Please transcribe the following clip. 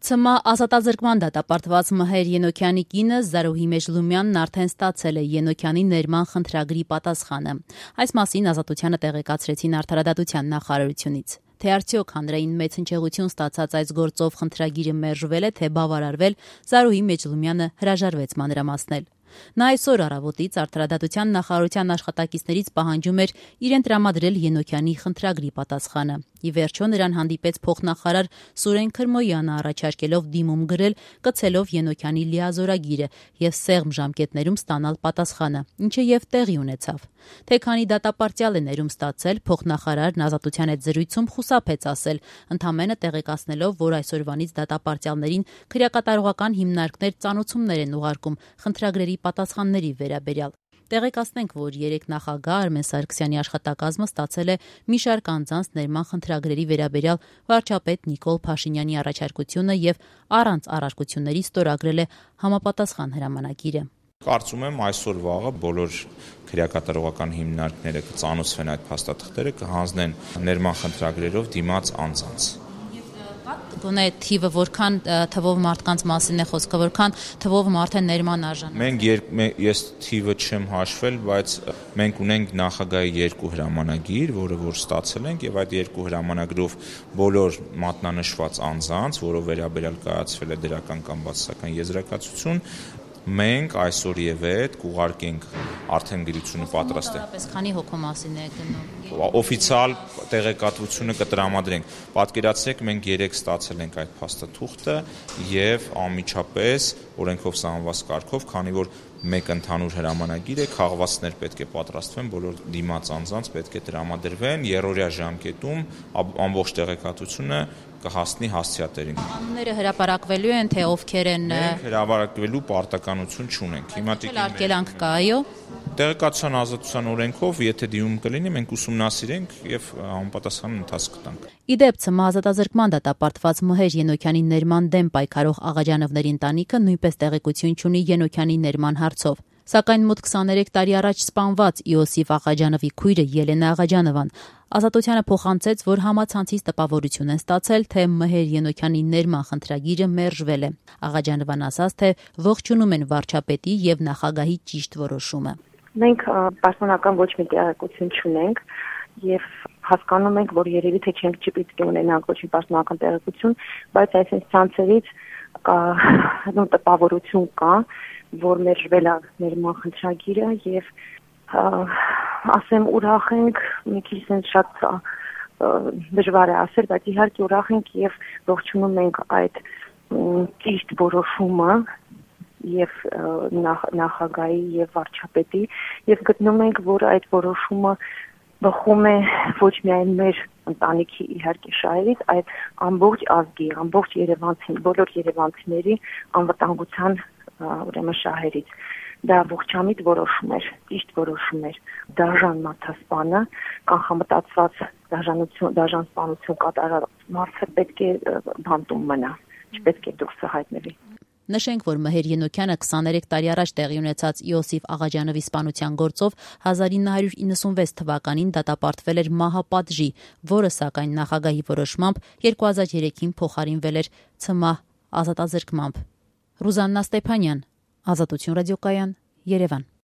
ՑՄ ազատազրկման դատապարտված Մհեր Ենոքյանի կինը Զարուհի Մեջլումյանն արդեն ստացել է Ենոքյանի ներման խնդրագրի պատասխանը։ Այս մասին Ազատությանը տեղեկացրեցին Արդարադատության նախարարությունից։ Թե արդյոք հանրային մեծ հնչեղություն ստացած այս գործով խնդրագիրը մերժվել է, թե բավարարվել, Զարուհի Մեջլումյանը հրաժարվեց մանրամասնել։ Նա այսօր առավոտից Արդարադատության նախարարության աշխատակիցներից պահանջում էր իրեն տրամադրել Ենոքյանի խնդրագրի պատասխանը։ Ի վերջո նրան հանդիպեց փոխնախարար Սուրեն Քրմոյանը առաջարկելով դիմում գրել, կցելով Ենոքյանի լիազորագիրը եւ սեղմ ժամկետներում ստանալ պատասխանը, ինչը եւ տեղի ունեցավ։ Թե քանի դատապարտյալ է ներում ստացել, փոխնախարարն Ազատության հետ զրույցում խուսափեց ասել, ընդամենը տեղեկացնելով, որ այսօրվանից դատապարտյալներին քրեակատարողական հիմնարկներ ծանուցումներ են ուղարկում խնդրագրերի պատասխանների վերաբերյալ։ Տեղեկացնենք, որ երեք նախագահ Արմեն Սարգսյանի աշխատակազմը ստացել է մի շարք անձանց ներման խնդրագրերի վերաբերյալ վարչապետ Նիկոլ Փաշինյանի առաջարկությունը եւ առանց առարկությունների ստորագրել է համապատասխան հրամանագիրը։ Կարծում եմ այսօր վաղը բոլոր քրեակատարողական հիմնարկները կծանուցվեն այդ փաստաթղթերը, կհանձնեն ներման խնդրագրերով դիմաց անձանց։ Գոնե թիվը որքան թվով մարդկանց մասին է խոսքը, որքան թվով մարդ է ներման արժան։ Ես թիվը չեմ հաշվել, բայց մենք ունենք նախագահի 2 հրամանագիր, որը որ ստացել ենք, եւ այդ 2 հրամանագրով բոլոր մատնանշված անձանց, որով վերաբերյալ կայացվել է դրական կամ բացասական եզրակացություն, մենք այսօր եւ այդ կուղարկենք արդեն գրությունը պատրաստ է։ Քանի հոգու մասին է գնում։ Օֆիցիալ տեղեկատվությունը կտրամադրենք։ Պատկերացրեք, մենք 3 ստացել ենք այդ փաստաթուղթը եւ անմիջապես օրենքով սահմանված կարգով, քանի որ մեկ ընդհանուր հրամանագիր է, քաղվածքներ պետք է պատրաստվեն, բոլոր դիմաց անձանց պետք է տրամադրվեն, երրորդյա ժամկետում ամբողջ տեղեկատվությունը կհասնի հասցեատերին։ Անունները հրապարակվելու են, թե ովքեր են։ Մենք հրապարակվելու պարտականություն չունենք։ Հիմա արգելանք կա, այո։ Տեղեկատվության ազատության օրենքով, եթե դիմում կլինի, մենք ուսումնասիրենք եւ համապատասխան ընթացք կտանք։ Իդեպ ՑՄ ազատազրկման դատապարտված Մհեր Ենոքյանի ներման դեմ պայքարող Աղաջանովների ընտանիքը նույնպես տեղեկություն չունի Ենոքյանի ներման հարցով։ Սակայն մոտ 23 տարի առաջ սպանված Իոսիֆ Աղաջանովի քույրը Ելենա Աղաջանովան Ազատությանը փոխանցեց, որ համացանցից տպավորություն են ստացել, թե Մհեր Ենոքյանի ներման խնդրագիրը մերժվել է։ Աղաջանովան ասաց, թե ողջունում են վարչապետի եւ նախագահի ճիշտ որոշումը։ Մենք պաշտոնական ոչ մի տեղեկություն չունենք եւ հասկանում ենք, որ երևի թե չենք չպիտի ունենանք ոչ մի պաշտոնական տեղեկություն, բայց այսպես ցանցերից տպավորություն կա, որ մերժվել է ներման խնդրագիրը եւ ասեմ ուրախ ենք, մի քիչ շատ դժվար է ասել, բայց իհարկե ուրախ ենք եւ ողջունում ենք այդ ճիշտ որոշումը եւ նախագահի եւ վարչապետի եւ գտնում ենք, որ այդ որոշումը բխում է ոչ միայն մեր ընտանիքի իհարկե շահերից, այլ ամբողջ ազգի, ամբողջ Երևանցի, բոլոր երևանցիների անվտանգության ուրեմն շահերից։ Դա ողջամիտ որոշում էր, ճիշտ որոշում էր։ Դաժան մաթասպանը, կանխամտածված դաժան սպանություն կատարած մարդը պետք է բանտում մնա, չպետք է դուրս հայտնվի։ Նշենք, որ Մհեր Ենոքյանը 23 տարի առաջ տեղի ունեցած Իոսիֆ Աղաջանովի սպանության գործով 1996 թվականին դատապարտվել էր մահապատժի, որը սակայն նախագահի որոշմամբ 2003-ին փոխարինվել էր ՑՄ ազատազրկմամբ։ Ռուզաննա Ստեփանյան, Ազատություն ռադիոկայան, Երևան։